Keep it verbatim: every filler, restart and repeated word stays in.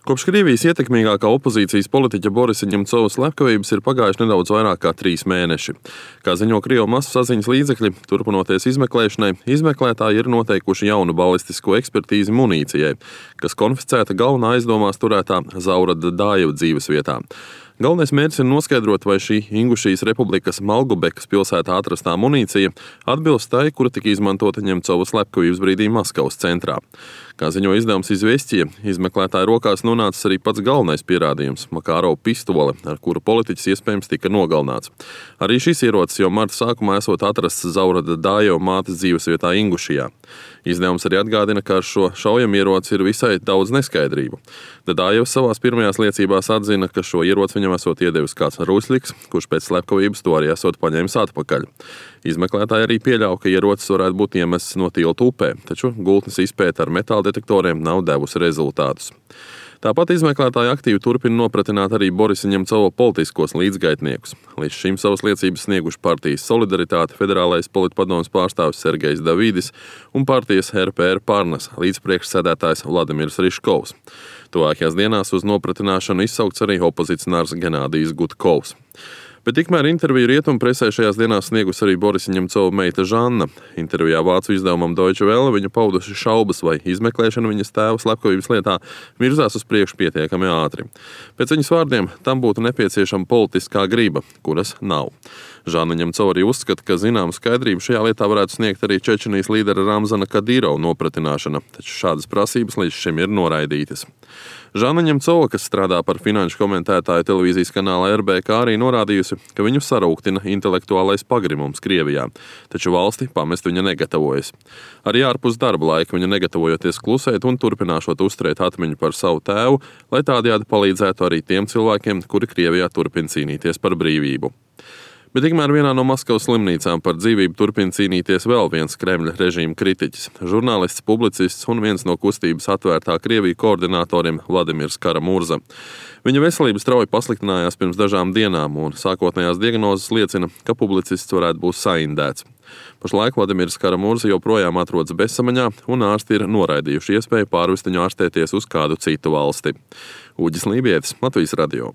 Kopš Krievijas ietekmīgākā opozīcijas politiķa Borisa Ņemcova slepkavības ir pagājuši nedaudz vairāk kā trīs mēneši. Kā ziņo Krievu masu saziņas līdzekļi, turpinoties izmeklēšanai, izmeklētāji ir noteikuši jaunu balistisko ekspertīzi munīcijai, kas konfiscēta galvenā aizdomās turētā Zaura Dadājeva dzīvesvietā. Galvenais mērķis ir noskaidrot, vai šī Ingušijas republikas Malgobekas pilsētā atrastā munīcija atbilst tai, kura tika izmantota Ņemcova slepkavības brīdī Maskavas centrā. Kā ziņo izdevums Izvestija, izmeklētāja rokās nonācis arī pats galvenais pierādījums – Makarova pistole, ar kuru politiķis iespējams tika nogalināts. Arī šis ierocis jau marta sākumā esot atrasts Zaura Dadājeva mātes dzīvesvietā Ingušijā. Izdevums arī atgādina, ka ar šo šaujamieroci ir visai daudz neskaidrību. Dadājevs savās pirmajās liecībās atzina, ka šo ieroci viņam esot iedevis kāds Rusļiks, kurš pēc slepkavības to arī esot paņēmis atpakaļ. Izmeklētāji arī pieļauj, ka ierocis varētu būt iemests no tilta upē, taču gultnes izpēta ar metāldetektoriem nav devusi rezultātus. Tāpat izmeklētāji aktīvi turpina nopratināt arī Borisa Ņemcova politiskos līdzgaitniekus. Līdz šim savas liecības snieguši partijas Solidaritāte federālais politpadomes pārstāvis Sergejs Davidis un partijas R P R Parnas līdzpriekšsēdētājs Vladimirs Riškovs. Tuvākajās dienās uz nopratināšanu izsaukts arī opozicionārs Genādijs Gutkovs. Bet tikmēr interviju rietumu presē šajās dienās sniegus arī Borisa Ņemcova meita Žanna. Intervijā vācu izdevumam Deutsche Welle viņa paudusi šaubas, vai izmeklēšana viņas tēva slepkavības lietā virzās uz priekšu pietiekami ātri. Pēc viņas vārdiem tam būtu nepieciešama politiskā griba, kuras nav. Žanna Ņemcova arī uzskata, ka zināmu skaidrību šajā lietā varētu sniegt arī Čečenijas līdera Ramzana Kadyrova nopratināšana, taču šādas prasības līdz šim ir noraidītas. Žanna Ņemcova, kas strādā par finanšu komentētāju televīzijas kanāla R B K, arī norādījusi, ka viņu sarūktina intelektuālais pagrimums Krievijā, taču valsti pamest viņa negatavojas. Arī ārpus darba laika viņa negatavojoties klusēt un turpināšot uzturēt atmiņu par savu tēvu, lai tādējādi palīdzētu arī tiem cilvēkiem, kuri Krievijā turpina cīnīties par brīvību. Bet tikmēr vienā no Maskavas slimnīcām par dzīvību turpina cīnīties vēl viens Kremļa režīma kritiķis – žurnālists, publicists un viens no kustības Atvērtā Krievija koordinatoriem Vladimirs Karamurza. Viņa veselība strauji pasliktinājās pirms dažām dienām, un sākotnējās diagnozes liecina, ka publicists varētu būt saindēts. Pašlaik Vladimirs Karamurza joprojām atrodas bezsamaņā, un ārsti ir noraidījuši iespēju pārvest viņu ārstēties uz kādu citu valsti. Uģis Lībietis, Latvijas radio.